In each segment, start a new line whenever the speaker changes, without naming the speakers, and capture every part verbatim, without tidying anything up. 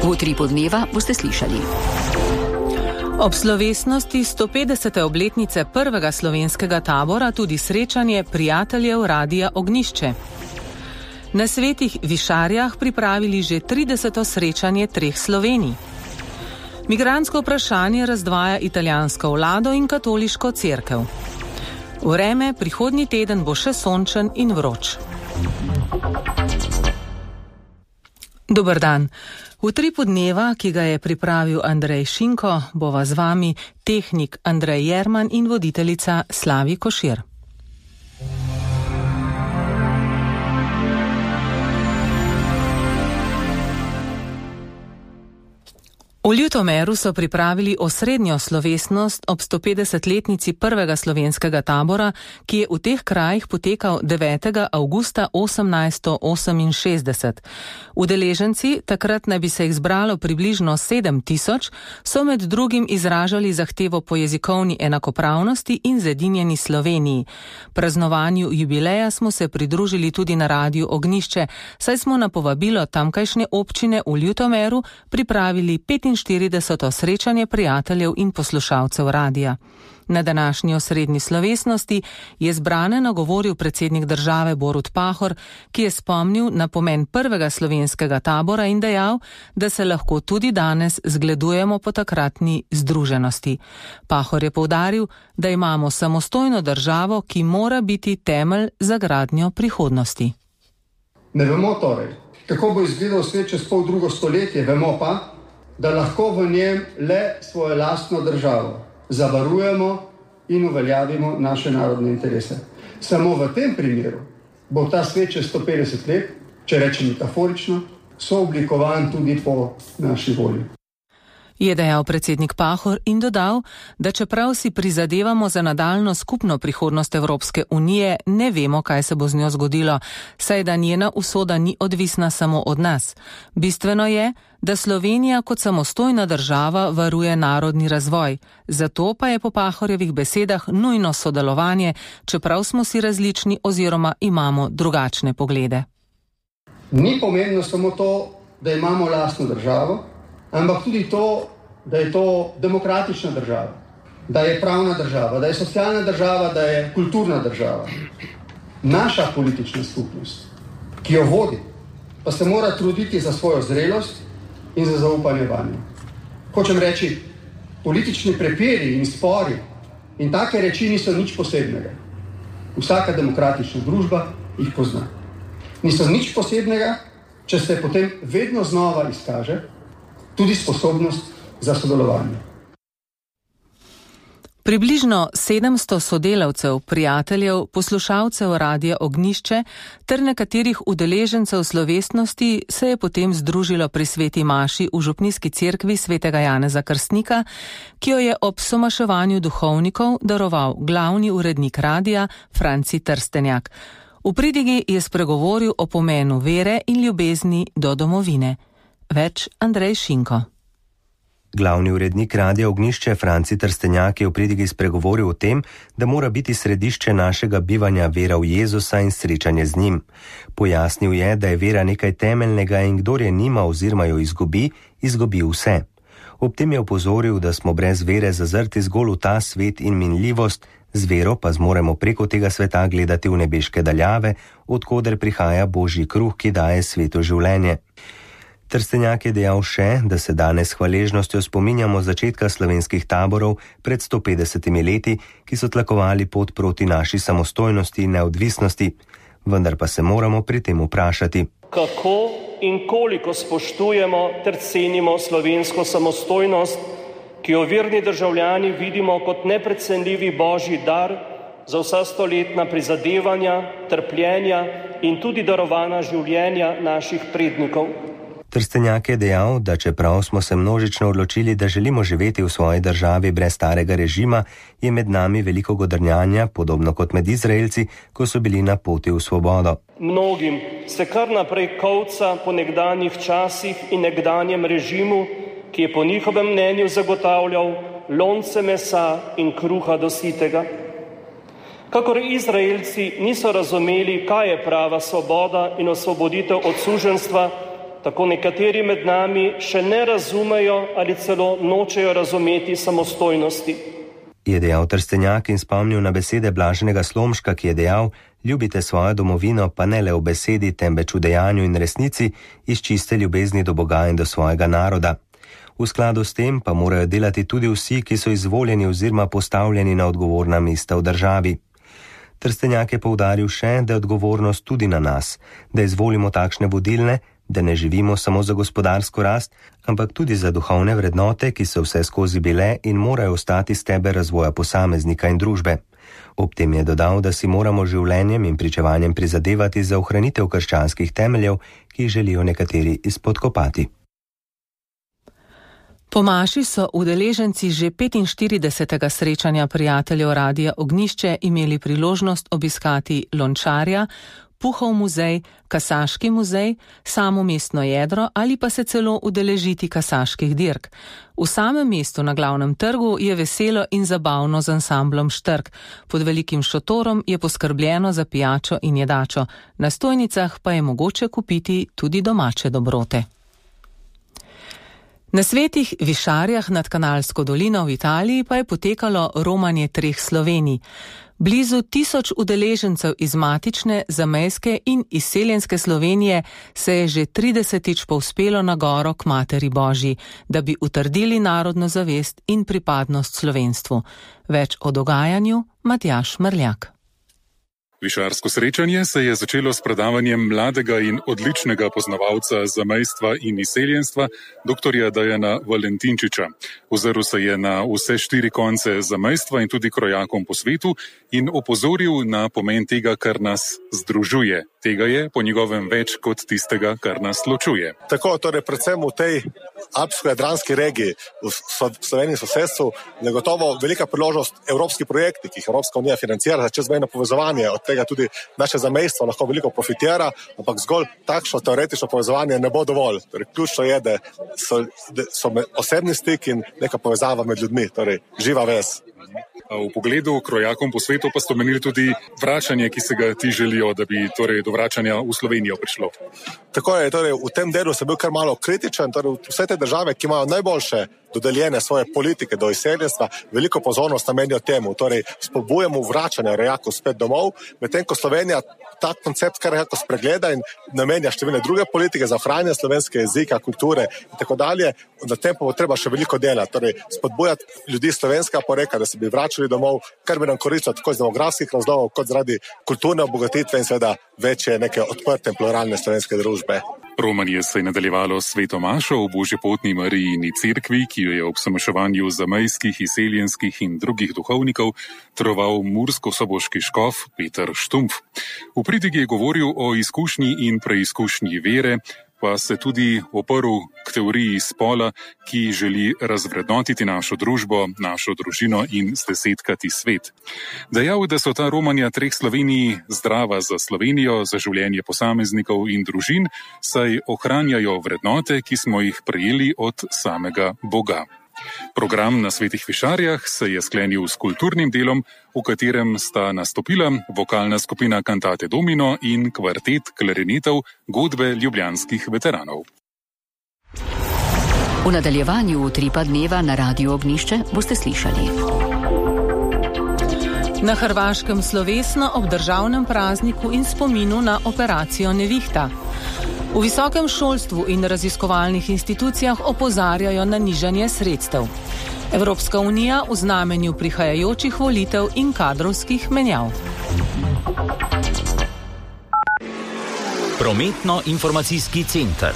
V utripu dneva boste slišali.
Ob slovesnosti sto petdesete obletnice prvega slovenskega tabora tudi srečanje prijateljev Radia Ognjišče. Na Svetih Višarjah pripravili že trideseto srečanje treh Slovenij. Migrantsko vprašanje razdvaja italijansko vlado in katoliško cerkev. Vreme prihodnji teden bo še sončen in vroč. Dober dan. V utripu dneva, ki ga je pripravil Andrej Šinko, bova z vami tehnik Andrej Jerman in voditeljica Slavi Košir. V Ljutomeru so pripravili osrednjo slovesnost ob sto petdesetletnici prvega slovenskega tabora, ki je v teh krajih potekal devetega avgusta osemnajststo oseminšestdeset. Udeleženci, takrat naj bi se jih zbralo približno sedem tisoč, so med drugim izražali zahtevo po jezikovni enakopravnosti in zedinjeni Sloveniji. Praznovanju jubileja smo se pridružili tudi na Radiu Ognjišče, saj smo na povabilo tamkajšnje občine v Ljutomeru pripravili petinštirideseto srečanje prijateljev in poslušalcev radija. Na današnji osrednji slovesnosti je zbrane nagovoril predsednik države Borut Pahor, ki je spomnil na pomen prvega slovenskega tabora in dejal, da se lahko tudi danes zgledujemo po takratni združenosti. Pahor je poudaril, da imamo samostojno državo, ki mora biti temelj za gradnjo prihodnosti.
Ne vemo torej, kako bo izgledal svet čez pol drugo stoletje, vemo pa, da lahko v njem le svojo lastno državo zavarujemo in uveljavimo naše narodne interese. Samo v tem primeru bo ta svet čez sto petdeset let, če rečem metaforično, sooblikovan tudi po naši volji.
Je dejal predsednik Pahor in dodal, da čeprav si prizadevamo za nadaljno skupno prihodnost Evropske unije, ne vemo, kaj se bo z njo zgodilo, saj da njena usoda ni odvisna samo od nas. Bistveno je, da Slovenija kot samostojna država varuje narodni razvoj. Zato pa je po Pahorjevih besedah nujno sodelovanje, čeprav smo si različni oziroma imamo drugačne poglede.
Ni pomembno samo to, da imamo lastno državo, ampak tudi to, da je to demokratična država, da je pravna država, da je socialna država, da je kulturna država. Naša politična skupnost, ki jo vodi, pa se mora truditi za svojo zrelost in za zaupanje vanjo. Hočem reči, politični prepiri in spori in take reči niso nič posebnega. Vsaka demokratična družba jih pozna. Niso nič posebnega, če se potem vedno znova izkaže tudi sposobnost za sodelovanje.
Približno sedemsto sodelavcev, prijateljev, poslušalcev Radia Ognjišče ter nekaterih udeležencev slovesnosti se je potem združilo pri sveti maši v župnijski cerkvi svetega Janeza Krstnika, ki jo je ob somaševanju duhovnikov daroval glavni urednik radija Franci Trstenjak. V pridigi je spregovoril o pomenu vere in ljubezni do domovine. Več Andrej Šinko.
Glavni urednik Radia Ognjišče Franci Trstenjak je v pridigi spregovoril o tem, da mora biti središče našega bivanja vera v Jezusa in srečanje z njim. Pojasnil je, da je vera nekaj temeljnega in kdor je nima oziroma jo izgubi, izgubi vse. Ob tem je opozoril, da smo brez vere zazrti zgolj v ta svet in minljivost, z vero pa zmoremo preko tega sveta gledati v nebeške daljave, odkoder prihaja Božji kruh, ki daje svetu življenje. Trstenjak je dejal še, da se danes s hvaležnostjo spominjamo začetka slovenskih taborov pred sto petdesetimi leti, ki so tlakovali pot proti naši samostojnosti in neodvisnosti. Vendar pa se moramo pri tem vprašati,
kako in koliko spoštujemo ter cenimo slovensko samostojnost, ki jo verni državljani vidimo kot neprecenljivi Božji dar za vsa stoletna prizadevanja, trpljenja in tudi darovana življenja naših prednikov.
Trstenjak je dejal, da čeprav smo se množično odločili, da želimo živeti v svoji državi brez starega režima, je med nami veliko godrnjanja, podobno kot med Izraelci, ko so bili na poti v svobodo.
Mnogim se kar naprej kolca po nekdanjih časih in nekdanjem režimu, ki je po njihovem mnenju zagotavljal lonce mesa in kruha do sitega. Kakor Izraelci niso razumeli, kaj je prava svoboda in osvoboditev od suženjstva, tako nekateri med nami še ne razumejo ali celo nočejo razumeti samostojnosti.
Je dejal Trstenjak in spomnil na besede Blaženega Slomška, ki je dejal: ljubite svojo domovino, pa ne le v besedi, temveč v dejanju in resnici, iz čiste ljubezni do Boga in do svojega naroda. V skladu s tem pa morajo delati tudi vsi, ki so izvoljeni oziroma postavljeni na odgovorna mesta v državi. Trstenjak je poudaril še, da je odgovornost tudi na nas, da izvolimo takšne vodilne, da ne živimo samo za gospodarsko rast, ampak tudi za duhovne vrednote, ki so vse skozi bile in morajo ostati steber razvoja posameznika in družbe. Ob tem je dodal, da si moramo življenjem in pričevanjem prizadevati za ohranitev krščanskih temeljev, ki jih želijo nekateri izpodkopati.
Po maši so udeleženci že petinštiridesetega srečanja prijateljev Radia Ognjišče imeli priložnost obiskati Lončarja, Puhov muzej, Kasaški muzej, samo mestno jedro ali pa se celo udeležiti kasaških dirk. V samem mestu na glavnem trgu je veselo in zabavno z ansamblom Štrk. Pod velikim šotorom je poskrbljeno za pijačo in jedačo. Na stojnicah pa je mogoče kupiti tudi domače dobrote. Na Svetih Višarjah nad Kanalsko dolino v Italiji pa je potekalo romanje treh Slovenij. Blizu tisoč udeležencev iz matične, zamejske in izseljenske Slovenije se je že tridesetič povzpelo na goro k Materi Božji, da bi utrdili narodno zavest in pripadnost slovenstvu. Več o dogajanju Matjaž Mrljak.
Višarsko srečanje se je začelo s predavanjem mladega in odličnega poznavalca zamejstva in izseljenstva, doktorja Dejana Valentinčiča. Ozrl se je na vse štiri konce zamejstva in tudi krojakom po svetu in opozoril na pomen tega, kar nas združuje. Tega je po njegovem več kot tistega, kar nas ločuje.
Tako, torej predvsem v tej alpsko-jadranski regiji, v Sloveniji sosedstvu, je gotovo velika priložnost evropski projekti, ki jih Evropska unija financira za čezmejno povezovanje. Od tega tudi naše zamejstvo lahko veliko profitira, ampak zgolj takšno teoretično povezovanje ne bo dovolj. Torej, ključno je, da so, da so osebni stik in neka povezava med ljudmi, torej živa vez.
V pogledu krojakom po svetu pa ste omenili tudi vračanje, ki se ga ti želijo, da bi torej do vračanja v Slovenijo prišlo.
Tako je, torej v tem delu sem bil kar malo kritičen, torej vse te države, ki imajo najboljše dodeljene svoje politike do izseljenstva, veliko pozornost namenijo temu, torej spodbujamo vračanje rojakov spet domov, medtem ko Slovenija ta koncept kar nekako spregleda in namenja številne druge politike za ohranjanje slovenskega jezika, kulture in tako dalje. Na tem pa bo treba še veliko dela, torej spodbujati ljudi slovenskega porekla, da se bi vračali domov, kar bi nam koristilo tako iz demografskih razlogov, kot zaradi kulturne obogatitve in seveda večje neke odprte in pluralne slovenske družbe.
Romanje se je nadaljevalo s sveto mašo v Božjepotni Marijini cerkvi, ki jo je ob sameševanju zamejskih, izseljenskih in drugih duhovnikov troval mursko-soboški škof Peter Štumpf. V pridigi je govoril o izkušnji in preizkušnji vere, pa se tudi oprl k teoriji spola, ki želi razvrednotiti našo družbo, našo družino in zdesetkati svet. Dejal, da so ta romanja treh Slovenij zdrava za Slovenijo, za življenje posameznikov in družin, saj ohranjajo vrednote, ki smo jih prejeli od samega Boga. Program na Svetih Višarjah se je sklenil s kulturnim delom, v katerem sta nastopila vokalna skupina Cantate Domino in kvartet klarinetov Godbe ljubljanskih veteranov.
V nadaljevanju Utripa dneva na Radiu Ognjišče boste slišali.
Na Hrvaškem slovesno ob državnem prazniku in spominu na operacijo Nevihta. V visokem šolstvu in raziskovalnih institucijah opozarjajo na nižanje sredstev. Evropska unija v znamenju prihajajočih volitev in kadrovskih menjav.
Prometno-informacijski center.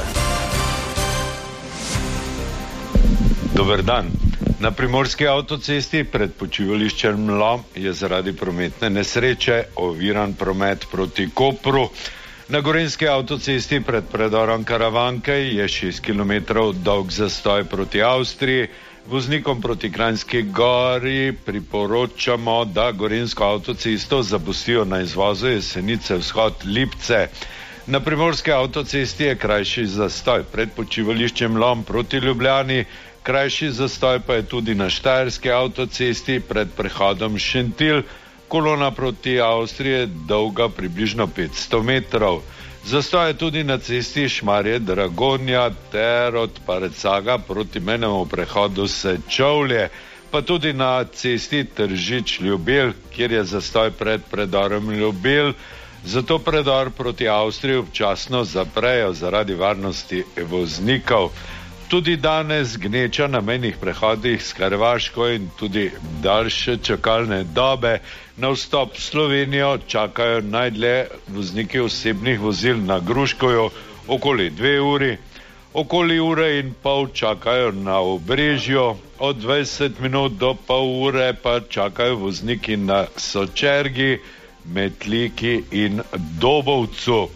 Dober dan. Na primorski avtocesti pred počivališčem Mlom je zaradi prometne nesreče oviran promet proti Kopru. Na gorenjski avtocesti pred predorom Karavanke je šest kilometrov dolg zastoj proti Avstriji. Voznikom proti Kranjski Gori priporočamo, da gorenjsko avtocesto zapustijo na izvozu Jesenice vzhod Lipce. Na primorski avtocesti je krajši zastoj pred počivališčem Lom proti Ljubljani. Krajši zastoj pa je tudi na štajerski avtocesti pred prehodom Šentilj. Kolona proti Avstriji je dolga približno petsto metrov. Zastoj je tudi na cesti Šmarje-Dragonja ter od Parecaga proti mejnemu prehodu Sečovlje, pa tudi na cesti Tržič-Ljubelj, kjer je zastoj pred predorom Ljubelj. Zato predor proti Avstriji občasno zaprejo zaradi varnosti voznikov. Tudi danes gneča na mejnih prehodih s Hrvaško in tudi daljše čakalne dobe. Na vstop v Slovenijo čakajo najdlje vozniki osebnih vozil na Gruškovju okoli dve uri. Okoli ure in pol čakajo na Obrežju, od dvajset minut do pol ure pa čakajo vozniki na Sočergi, Metliki in Dobovcu.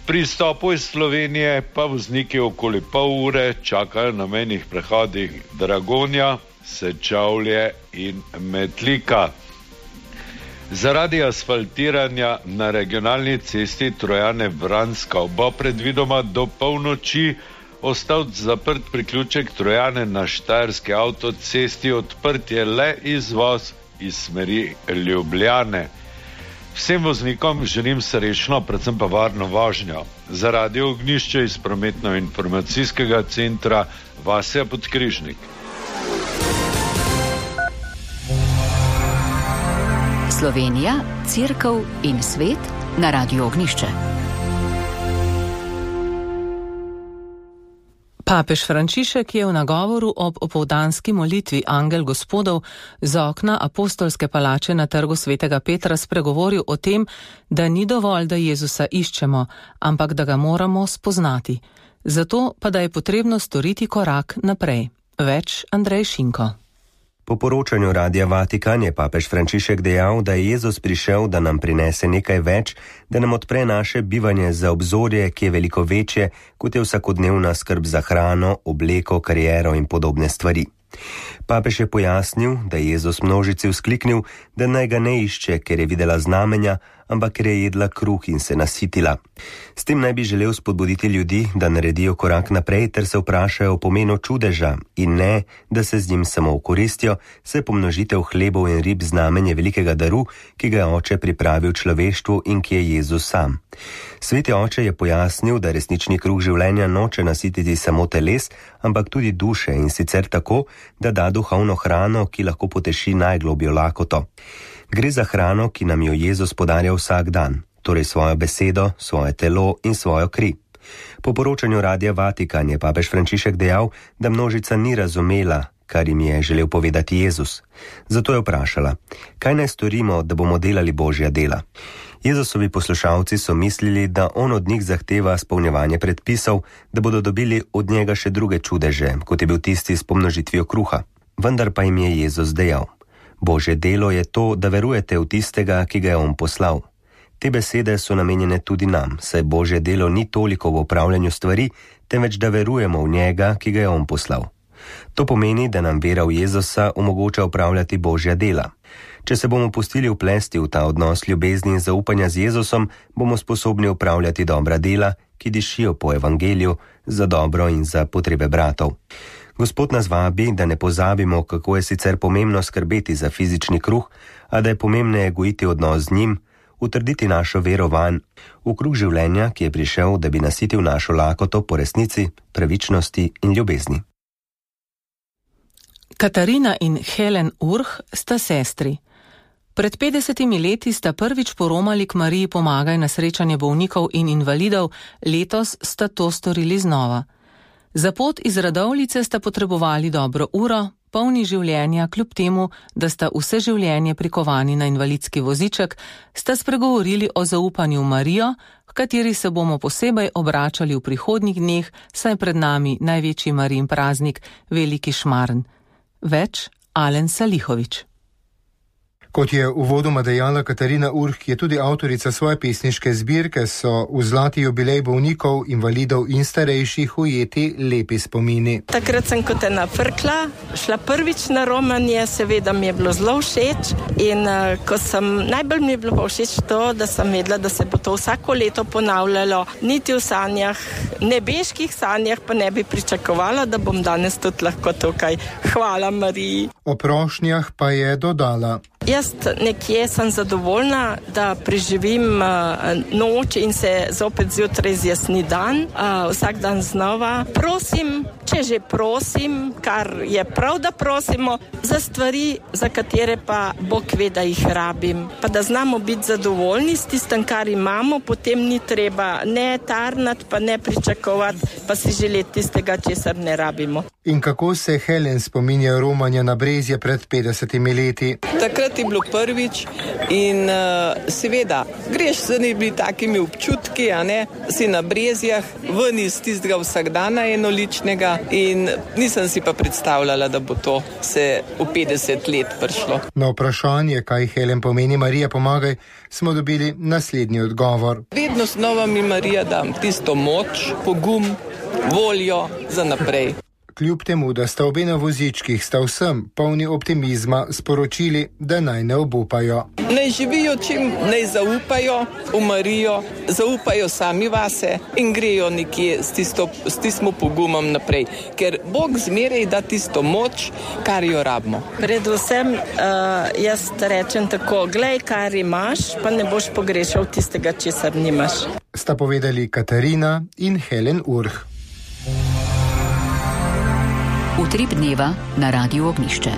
Pri stopu iz Slovenije pa vozniki okoli pol ure čakajo na mejnih prehodih Dragonja, Sečovlje in Metlika. Zaradi asfaltiranja na regionalni cesti Trojane-Vranska bo predvidoma do polnoči ostal zaprt priključek Trojane na štajerski avtocesti, odprt je le izvoz iz smeri Ljubljane. Vsem voznikom želim srečno, predvsem pa varno vožnjo. Za Radio Ognjišče iz prometno-informacijskega centra Vasja Podkrižnik.
Slovenija, Cerkev in svet na Radio Ognjišče.
Papež Frančišek je v nagovoru ob opoldanski molitvi Angel Gospodov z okna apostolske palače na trgu svetega Petra spregovoril o tem, da ni dovolj, da Jezusa iščemo, ampak da ga moramo spoznati. Zato pa da je potrebno storiti korak naprej. Več Andrej Šinko.
Po poročanju Radia Vatikan je papež Frančišek dejal, da je Jezus prišel, da nam prinese nekaj več, da nam odpre naše bivanje za obzorje, ki je veliko večje, kot je vsakodnevna skrb za hrano, obleko, kariero in podobne stvari. Papež je pojasnil, da je Jezus množici vzkliknil, da naj ga ne išče, ker je videla znamenja, ampak ker je jedla kruh in se nasitila. S tem naj bi želel spodbuditi ljudi, da naredijo korak naprej ter se vprašajo o pomenu čudeža in ne, da se z njim samo okoristijo, saj pomnožitev hlebov in rib znamenje velikega daru, ki ga je oče pripravil človeštvu in ki je Jezus sam. Sveti oče je pojasnil, da resnični kruh življenja noče nasititi samo teles, ampak tudi duše in sicer tako, da da duhovno hrano, ki lahko poteši najglobjo lakoto. Gre za hrano, ki nam jo Jezus podarja vsak dan, torej svojo besedo, svoje telo in svojo kri. Po poročanju Radia Vatikan je papež Frančišek dejal, da množica ni razumela, kar jim je želel povedati Jezus. Zato je vprašala, kaj naj storimo, da bomo delali Božja dela. Jezusovi poslušalci so mislili, da on od njih zahteva spolnjevanje predpisov, da bodo dobili od njega še druge čudeže, kot je bil tisti s pomnožitvijo kruha. Vendar pa jim je Jezus dejal, Božje delo je to, da verujete v tistega, ki ga je on poslal. Te besede so namenjene tudi nam, saj Božje delo ni toliko v upravljanju stvari, temveč da verujemo v njega, ki ga je on poslal. To pomeni, da nam vera v Jezusa omogoča upravljati Božja dela. Če se bomo pustili vplesti v ta odnos ljubezni in zaupanja z Jezusom, bomo sposobni upravljati dobra dela, ki dišijo po evangeliju, za dobro in za potrebe bratov. Gospod nas vabi, da ne pozabimo, kako je sicer pomembno skrbeti za fizični kruh, a da je pomembneje gojiti odnos z njim, utrditi našo vero vanj, v kruh življenja, ki je prišel, da bi nasitil našo lakoto po resnici, pravičnosti in ljubezni.
Katarina in Helen Urh sta sestri. Pred petdesetimi leti sta prvič poromali k Mariji Pomagaj na srečanje bolnikov in invalidov, letos sta to storili znova. Za pot iz Radovljice sta potrebovali dobro uro, polni življenja, kljub temu, da sta vse življenje prikovani na invalidski voziček, sta spregovorili o zaupanju v Marijo, v kateri se bomo posebej obračali v prihodnjih dneh, saj pred nami največji Marijin praznik, Veliki Šmarn. Več Alen Salihovič.
Kot je uvodoma dejala Katarina Urh, ki je tudi avtorica svoje pesniške zbirke, so v zlati jubilej bolnikov, invalidov in starejših ujeti lepi spomini.
Takrat sem kot ena frkla, šla prvič na romanje, seveda mi je bilo zelo všeč in uh, ko sem, najbolj mi je bilo všeč to, da sem vedela, da se bo to vsako leto ponavljalo, niti v sanjah, nebeških sanjah pa ne bi pričakovala, da bom danes tudi lahko tukaj. Hvala Mariji.
O prošnjah pa je dodala.
Ja, Jaz nekje sem zadovoljna, da preživim noč in se zopet zjutraj zjasni dan, vsak dan znova. Prosim, če že prosim, kar je prav, da prosimo, za stvari, za katere pa Bog ve, da jih rabim. Pa da znamo biti zadovoljni s tistem, kar imamo, potem ni treba ne tarnati, pa ne pričakovati, pa si želeti tistega, česar ne rabimo.
In kako se Helen spominja romanja na Brezje pred petdesetimi leti?
Takrat je bilo prvič in uh, seveda greš z nebi takimi občutki, a ne, si na Brezjah, ven iz tistega vsakdana enoličnega in nisem si pa predstavljala, da bo to se v petdeset let prišlo.
Na vprašanje, kaj Helen pomeni Marija pomagaj, smo dobili naslednji odgovor.
Vedno znova mi Marija dam tisto moč, pogum, voljo za naprej.
Kljub temu, da sta obe na vozičkih, sta vsem polni optimizma sporočili, da naj ne obupajo.
Naj živijo čim, naj zaupajo v Marijo, zaupajo sami vase in grejo nekje s, tisto, s tistim pogumom naprej, ker Bog zmeraj da tisto moč, kar jo rabimo.
Predvsem uh, jaz rečem tako, glej, kar imaš, pa ne boš pogrešal tistega, česar nimaš.
Sta povedali Katarina in Helen Urh.
Utrip dneva na Radiu Ognjišče.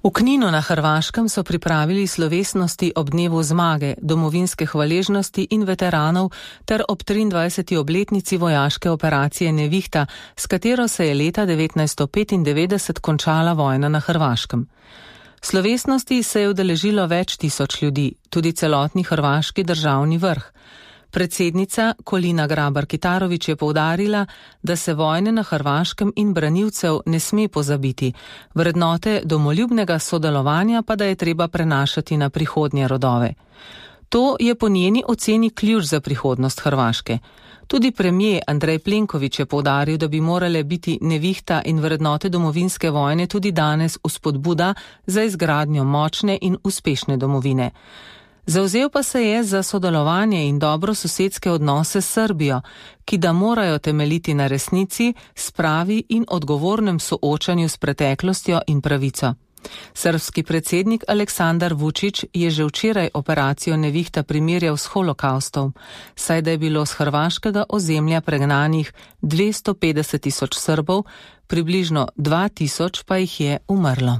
V Kninu na Hrvaškem so pripravili slovesnosti ob dnevu zmage, domovinske hvaležnosti in veteranov ter ob triindvajseti obletnici vojaške operacije Nevihta, s katero se je leta devetnajststo petindevetdeset končala vojna na Hrvaškem. Slovesnosti se je udeležilo več tisoč ljudi, tudi celotni hrvaški državni vrh. Predsednica Kolina Grabar-Kitarović je poudarila, da se vojne na Hrvaškem in branilcev ne sme pozabiti, vrednote domoljubnega sodelovanja pa da je treba prenašati na prihodnje rodove. To je po njeni oceni ključ za prihodnost Hrvaške. Tudi premijer Andrej Plenković je poudaril, da bi morale biti Nevihta in vrednote domovinske vojne tudi danes vzpodbuda za izgradnjo močne in uspešne domovine. Zavzel pa se je za sodelovanje in dobro sosedske odnose s Srbijo, ki da morajo temeljiti na resnici, spravi in odgovornem soočanju s preteklostjo in pravico. Srbski predsednik Aleksandar Vučić je že včeraj operacijo Nevihta primerjal s holokaustom, saj da je bilo z hrvaškega ozemlja pregnanih dvesto petdeset tisoč Srbov, približno dva tisoč pa jih je umrlo.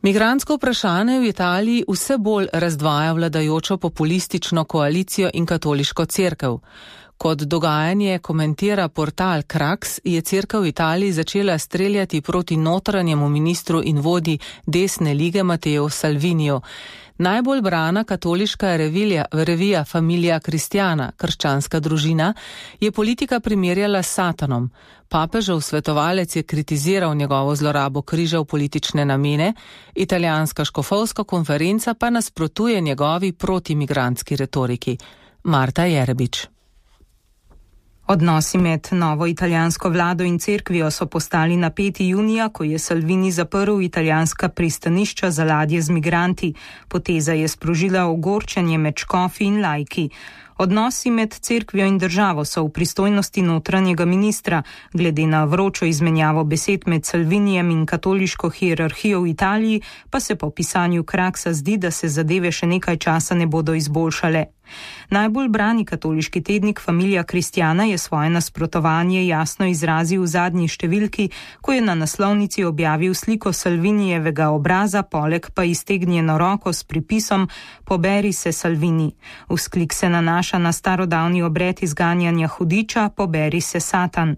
Migrantsko vprašanje v Italiji vse bolj razdvaja vladajočo populistično koalicijo in katoliško cerkev. Kot dogajanje komentira portal Krax, je cerkev v Italiji začela streljati proti notranjemu ministru in vodi desne lige Matteo Salviniju. Najbolj brana katoliška revija, revija Familia Cristiana, krščanska družina, je politika primerjala s Satanom. Papežev svetovalec je kritiziral njegovo zlorabo križa v politične namene, italijanska škofovska konferenca pa nasprotuje njegovi protimigrantski retoriki. Marta Jerebič.
Odnosi med novo italijansko vlado in cerkvijo so postali napeti junija, ko je Salvini zaprl italijanska pristanišča za ladje z migranti. Poteza je sprožila ogorčenje med škofi in laiki. Odnosi med cerkvijo in državo so v pristojnosti notranjega ministra. Glede na vročo izmenjavo besed med Salvinijem in katoliško hierarhijo v Italiji, pa se po pisanju Kraksa zdi, da se zadeve še nekaj časa ne bodo izboljšale. Najbolj brani katoliški tednik Familia Cristiana je svoje nasprotovanje jasno izrazil v zadnji številki, ko je na naslovnici objavil sliko Salvinijevega obraza, poleg pa iztegnjeno roko s pripisom "Poberi se, Salvini". Vzklik se nanaša na starodavni obred izganjanja hudiča "Poberi se, Satan".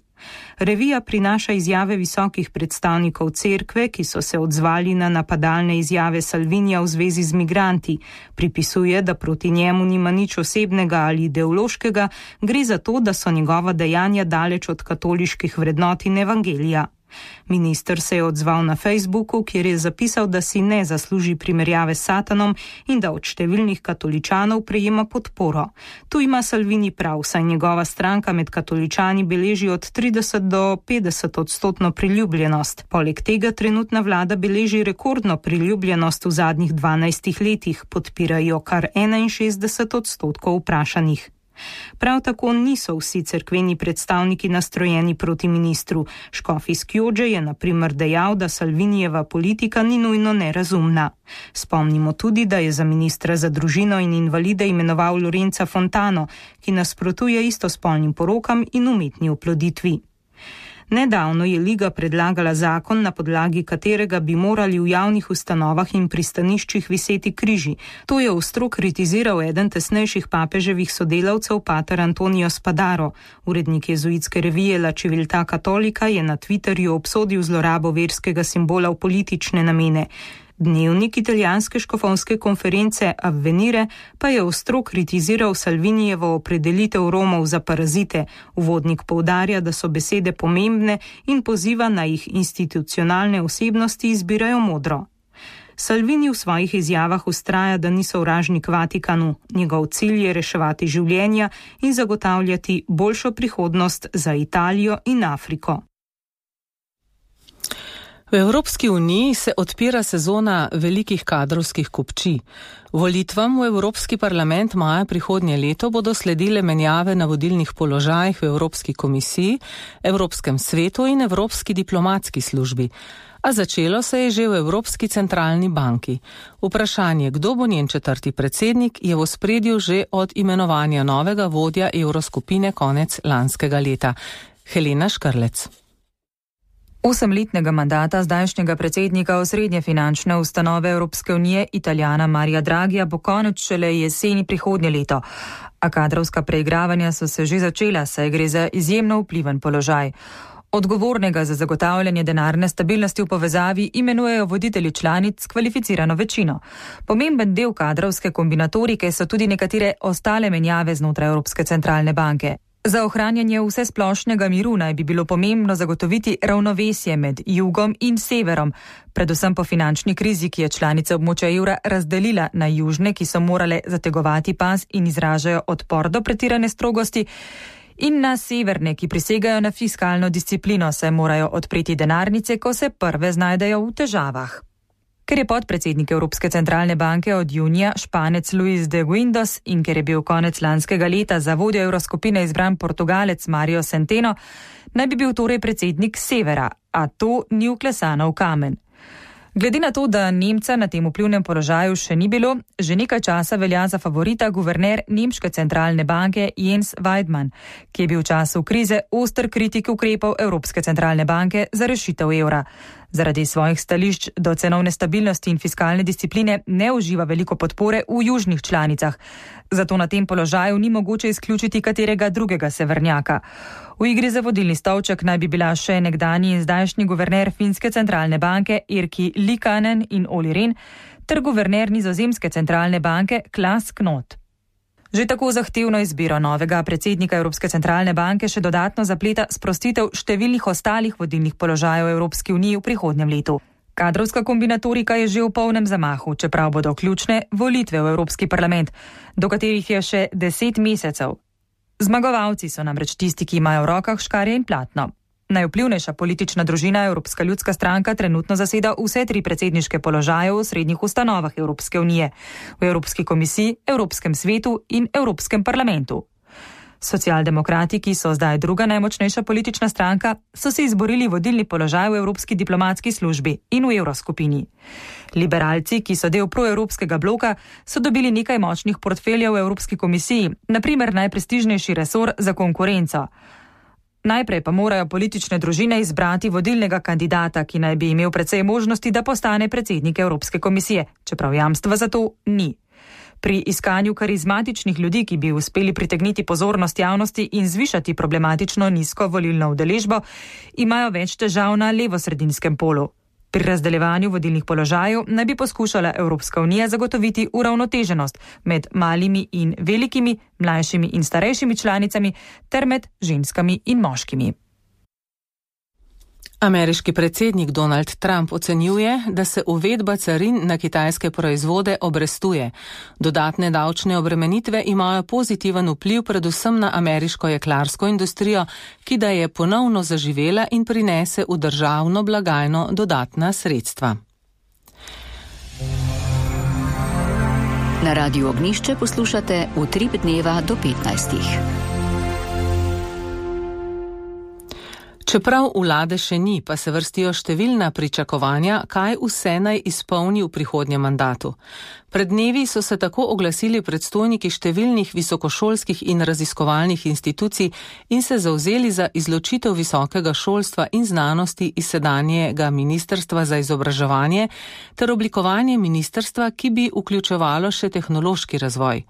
Revija prinaša izjave visokih predstavnikov cerkve, ki so se odzvali na napadalne izjave Salvinija v zvezi z migranti. Pripisuje, da proti njemu nima nič osebnega ali ideološkega, gre za to, da so njegova dejanja daleč od katoliških vrednot in evangelija. Minister se je odzval na Facebooku, kjer je zapisal, da si ne zasluži primerjave s Satanom in da od številnih katoličanov prejema podporo. Tu ima Salvini prav, saj njegova stranka med katoličani beleži od trideset do petdeset odstotno priljubljenost. Poleg tega trenutna vlada beleži rekordno priljubljenost v zadnjih dvanajstih letih, podpirajo kar enainšestdeset odstotkov vprašanih. Prav tako niso vsi cerkveni predstavniki nastrojeni proti ministru. Škof iz Chiogge je na primer dejal, da Salvinijeva politika ni nujno nerazumna. Spomnimo tudi, da je za ministra za družino in invalide imenoval Lorenza Fontano, ki nasprotuje istospolnim porokam in umetni oploditvi. Nedavno je Liga predlagala zakon, na podlagi katerega bi morali v javnih ustanovah in pristaniščih viseti križi. To je ostro kritiziral eden tesnejših papeževih sodelavcev, pater Antonio Spadaro. Urednik jezuitske revije La Civiltà Cattolica je na Twitterju obsodil zlorabo verskega simbola v politične namene. Dnevnik italijanske škofovske konference Avvenire pa je ostro kritiziral Salvinijevo opredelitev Romov za parazite. Uvodnik poudarja, da so besede pomembne in poziva na jih institucionalne osebnosti izbirajo modro. Salvini v svojih izjavah vztraja, da ni sovražnik Vatikanu. Njegov cilj je reševati življenja in zagotavljati boljšo prihodnost za Italijo in Afriko.
V Evropski uniji se odpira sezona velikih kadrovskih kupčij. Volitvam v Evropski parlament maja prihodnje leto bodo sledile menjave na vodilnih položajih v Evropski komisiji, Evropskem svetu in Evropski diplomatski službi. A začelo se je že v Evropski centralni banki. Vprašanje, kdo bo njen četrti predsednik, je v ospredju že od imenovanja novega vodja evroskupine konec lanskega leta. Helena Škrlec.
Osemletnega mandata zdajšnjega predsednika osrednje finančne ustanove Evropske unije, Italijana Marija Draghija, bo konec šele jeseni prihodnje leto. A kadrovska preigravanja so se že začela, saj gre za izjemno vpliven položaj. Odgovornega za zagotavljanje denarne stabilnosti v povezavi imenujejo voditelji članic s kvalificirano večino. Pomemben del kadrovske kombinatorike so tudi nekatere ostale menjave znotraj Evropske centralne banke. Za ohranjanje vsesplošnega miru naj bi bilo pomembno zagotoviti ravnovesje med jugom in severom, predvsem po finančni krizi, ki je članice območja evra razdelila na južne, ki so morale zategovati pas in izražajo odpor do pretirane strogosti, in na severne, ki prisegajo na fiskalno disciplino, saj morajo odpreti denarnice, ko se prve znajdejo v težavah. Ker je podpredsednik Evropske centralne banke od junija Španec Luis de Guindos in ker je bil konec lanskega leta za vodjo evroskupine izbran Portugalec Mario Centeno, naj bi bil torej predsednik severa, a to ni vklesano v kamen. Glede na to, da Nemca na tem vplivnem položaju še ni bilo, že nekaj časa velja za favorita guverner Nemške centralne banke Jens Weidmann, ki je bil v času krize oster kritik ukrepov Evropske centralne banke za rešitev evra. Zaradi svojih stališč do cenovne stabilnosti in fiskalne discipline ne uživa veliko podpore v južnih članicah. Zato na tem položaju ni mogoče izključiti katerega drugega severnjaka. V igri za vodilni stolček naj bi bila še nekdanji in zdajšnji guverner Finske centralne banke Erkki Liikanen in Olli Rehn ter guverner Nizozemske centralne banke Klaas Knot. Že tako zahtevno izbiro novega predsednika Evropske centralne banke še dodatno zapleta sprostitev številnih ostalih vodilnih položajev Evropske unije v prihodnjem letu. Kadrovska kombinatorika je že v polnem zamahu, čeprav bodo ključne volitve v Evropski parlament, do katerih je še deset mesecev. Zmagovalci so namreč tisti, ki imajo v rokah škarje in platno. Najvplivnejša politična družina Evropska ljudska stranka trenutno zaseda vse tri predsedniške položaje v srednjih ustanovah Evropske unije, v Evropski komisiji, Evropskem svetu in Evropskem parlamentu. Socialdemokrati, ki so zdaj druga najmočnejša politična stranka, so si izborili vodilni položaj v Evropski diplomatski službi in v Evroskupini. Liberalci, ki so del proevropskega bloka, so dobili nekaj močnih portfeljev v Evropski komisiji, na primer najprestižnejši resor za konkurenco. Najprej pa morajo politične družine izbrati vodilnega kandidata, ki naj bi imel precej možnosti, da postane predsednik Evropske komisije, čeprav jamstva za to ni. Pri iskanju karizmatičnih ljudi, ki bi uspeli pritegniti pozornost javnosti in zvišati problematično nizko volilno udeležbo, imajo več težav na levosredinskem polu. Pri razdeljevanju vodilnih položajev naj bi poskušala Evropska unija zagotoviti uravnoteženost med malimi in velikimi, mlajšimi in starejšimi članicami ter med ženskami in moškimi.
Ameriški predsednik Donald Trump ocenjuje, da se uvedba carin na kitajske proizvode obrestuje. Dodatne davčne obremenitve imajo pozitiven vpliv predvsem na ameriško jeklarsko industrijo, ki da je ponovno zaživela in prinese v državno blagajno dodatna sredstva.
Na Radiu Ognišče poslušate Utrip dneva do petnajstih.
Čeprav vlade še ni, pa se vrstijo številna pričakovanja, kaj vse naj izpolni v prihodnjem mandatu. Pred dnevi so se tako oglasili predstojniki številnih visokošolskih in raziskovalnih institucij in se zavzeli za izločitev visokega šolstva in znanosti iz sedanjega Ministrstva za izobraževanje ter oblikovanje ministrstva, ki bi vključevalo še tehnološki razvoj.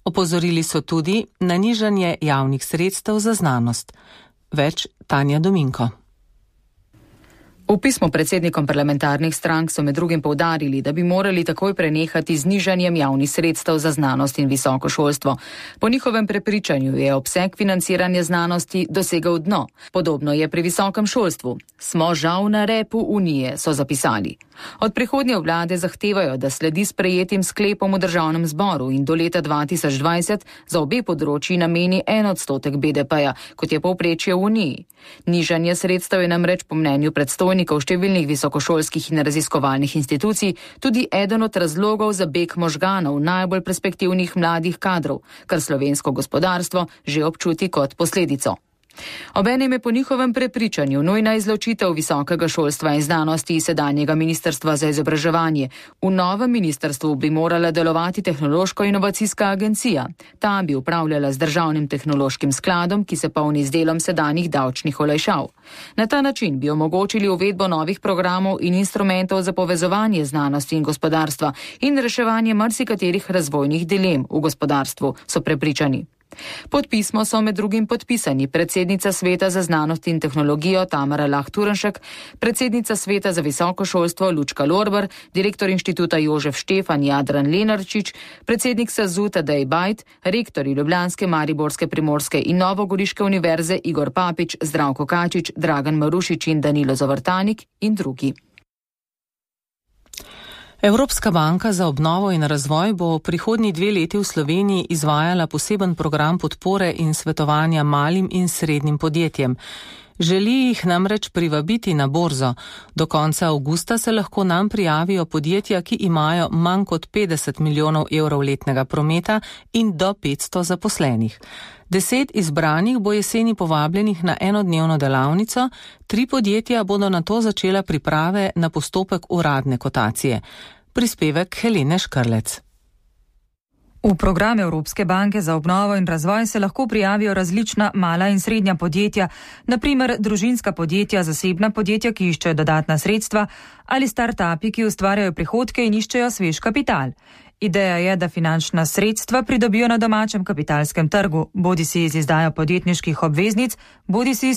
Opozorili so tudi na nižanje javnih sredstev za znanost. Več Tanja Dominko.
V pismu predsednikom parlamentarnih strank so med drugim poudarili, da bi morali takoj prenehati z nižanjem javnih sredstev za znanost in visoko šolstvo. Po njihovem prepričanju je obseg financiranja znanosti dosegel dno. Podobno je pri visokem šolstvu. Smo žal na repu Unije, so zapisali. Od prihodnje vlade zahtevajo, da sledi sprejetim sklepom v državnem zboru in do leta dva tisoč dvajset za obe področji nameni en odstotek B D P-ja, kot je povprečje v Uniji. Nižanje sredstev je namreč po mnenju predstojnikov številnih visokošolskih in raziskovalnih institucij tudi eden od razlogov za beg možganov najbolj perspektivnih mladih kadrov, kar slovensko gospodarstvo že občuti kot posledico. Obenem je po njihovem prepričanju nujna izločitev visokega šolstva in znanosti iz sedanjega Ministrstva za izobraževanje. V novem ministrstvu bi morala delovati tehnološko-inovacijska agencija. Ta bi upravljala z državnim tehnološkim skladom, ki se polni z delom sedanjih davčnih olajšav. Na ta način bi omogočili uvedbo novih programov in instrumentov za povezovanje znanosti in gospodarstva in reševanje marsikaterih razvojnih dilem v gospodarstvu, so prepričani. Pod pismo so med drugim podpisani predsednica Sveta za znanost in tehnologijo Tamara Lah Turnšek, predsednica Sveta za visoko šolstvo Lučka Lorber, direktor inštituta Jožef Štefan Jadran Lenarčič, predsednik SAZU Tadej Bajt, rektorji ljubljanske, mariborske, primorske in novogoriške univerze Igor Papič, Zdravko Kačič, Dragan Marušič in Danilo Zavrtanik in drugi.
Evropska banka za obnovo in razvoj bo prihodnji dve leti v Sloveniji izvajala poseben program podpore in svetovanja malim in srednjim podjetjem. Želi jih namreč privabiti na borzo. Do konca avgusta se lahko nam prijavijo podjetja, ki imajo manj kot petdeset milijonov evrov letnega prometa in do petsto zaposlenih. Deset izbranih bo jeseni povabljenih na enodnevno delavnico, tri podjetja bodo na to začela priprave na postopek uradne kotacije. Prispevek Helene Škrlec.
V program Evropske banke za obnovo in razvoj se lahko prijavijo različna mala in srednja podjetja, na primer družinska podjetja, zasebna podjetja, ki iščejo dodatna sredstva, ali start-upi, ki ustvarjajo prihodke in iščejo svež kapital. Ideja je, da finančna sredstva pridobijo na domačem kapitalskem trgu, bodisi iz izdajo podjetniških obveznic, bodisi iz